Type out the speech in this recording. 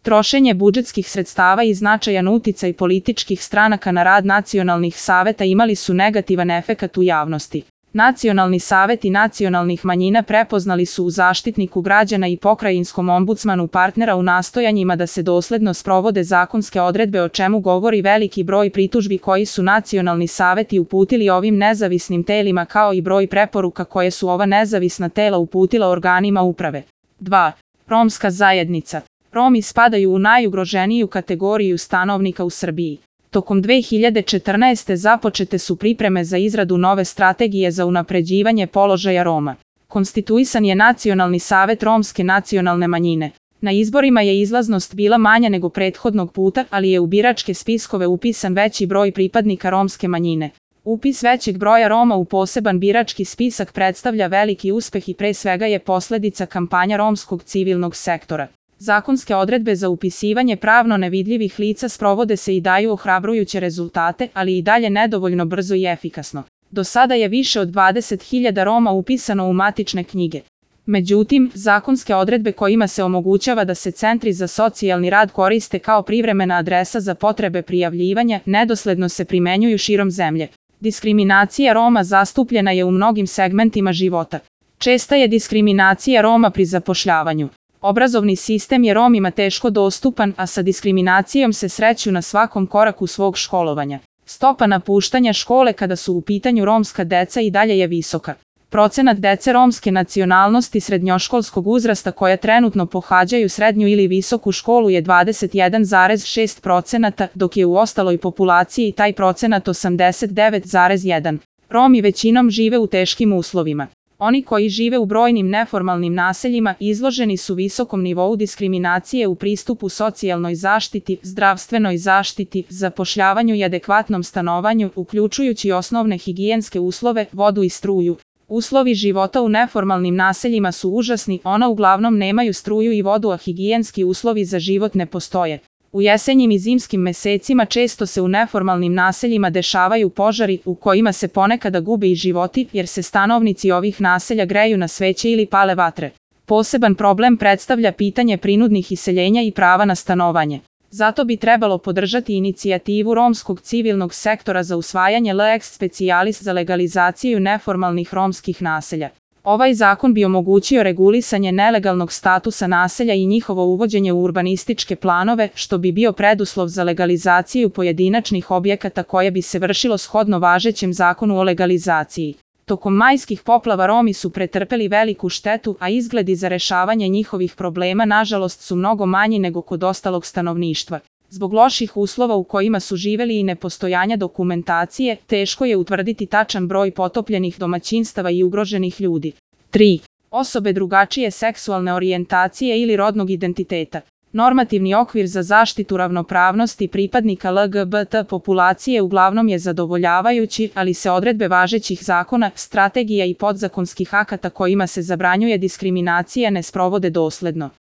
Trošenje budžetskih sredstava i značajan uticaj političkih stranaka na rad nacionalnih saveta imali su negativan efekat u javnosti. Nacionalni saveti nacionalnih manjina prepoznali su u Zaštitniku građana i pokrajinskom ombudsmanu partnera u nastojanjima da se dosledno sprovode zakonske odredbe, o čemu govori veliki broj pritužbi koji su nacionalni saveti uputili ovim nezavisnim telima, kao i broj preporuka koje su ova nezavisna tela uputila organima uprave. 2. Romska zajednica. Romi spadaju u najugroženiju kategoriju stanovnika u Srbiji. Tokom 2014. započete su pripreme za izradu nove strategije za unapređivanje položaja Roma. Konstituisan je Nacionalni savet romske nacionalne manjine. Na izborima je izlaznost bila manja nego prethodnog puta, ali je u biračke spiskove upisan veći broj pripadnika romske manjine. Upis većeg broja Roma u poseban birački spisak predstavlja veliki uspeh i pre svega je posledica kampanja romskog civilnog sektora. Zakonske odredbe za upisivanje pravno nevidljivih lica sprovode se i daju ohrabrujuće rezultate, ali i dalje nedovoljno brzo i efikasno. Do sada je više od 20.000 Roma upisano u matične knjige. Međutim, zakonske odredbe kojima se omogućava da se centri za socijalni rad koriste kao privremena adresa za potrebe prijavljivanja, nedosledno se primenjuju širom zemlje. Diskriminacija Roma zastupljena je u mnogim segmentima života. Česta je diskriminacija Roma pri zapošljavanju. Obrazovni sistem je Romima teško dostupan, a sa diskriminacijom se sreću na svakom koraku svog školovanja. Stopa napuštanja škole kada su u pitanju romska deca i dalje je visoka. Procenat dece romske nacionalnosti srednjoškolskog uzrasta koja trenutno pohađaju srednju ili visoku školu je 21,6%, dok je u ostaloj populaciji taj procenat 89,1%. Romi većinom žive u teškim uslovima. Oni koji žive u brojnim neformalnim naseljima izloženi su visokom nivou diskriminacije u pristupu socijalnoj zaštiti, zdravstvenoj zaštiti, zapošljavanju i adekvatnom stanovanju, uključujući osnovne higijenske uslove, vodu i struju. Uslovi života u neformalnim naseljima su užasni, ona uglavnom nemaju struju i vodu, a higijenski uslovi za život ne postoje. U jesenjim i zimskim mesecima često se u neformalnim naseljima dešavaju požari u kojima se ponekada gube i životi, jer se stanovnici ovih naselja greju na sveće ili pale vatre. Poseban problem predstavlja pitanje prinudnih iseljenja i prava na stanovanje. Zato bi trebalo podržati inicijativu romskog civilnog sektora za usvajanje lex specialis za legalizaciju neformalnih romskih naselja. Ovaj zakon bi omogućio regulisanje nelegalnog statusa naselja i njihovo uvođenje u urbanističke planove, što bi bio preduslov za legalizaciju pojedinačnih objekata koje bi se vršilo shodno važećem zakonu o legalizaciji. Tokom majskih poplava Romi su pretrpeli veliku štetu, a izgledi za rešavanje njihovih problema nažalost su mnogo manji nego kod ostalog stanovništva. Zbog loših uslova u kojima su živeli i nepostojanja dokumentacije, teško je utvrditi tačan broj potopljenih domaćinstava i ugroženih ljudi. 3. Osobe drugačije seksualne orijentacije ili rodnog identiteta. Normativni okvir za zaštitu ravnopravnosti pripadnika LGBT populacije uglavnom je zadovoljavajući, ali se odredbe važećih zakona, strategija i podzakonskih akata kojima se zabranjuje diskriminacija ne sprovode dosledno.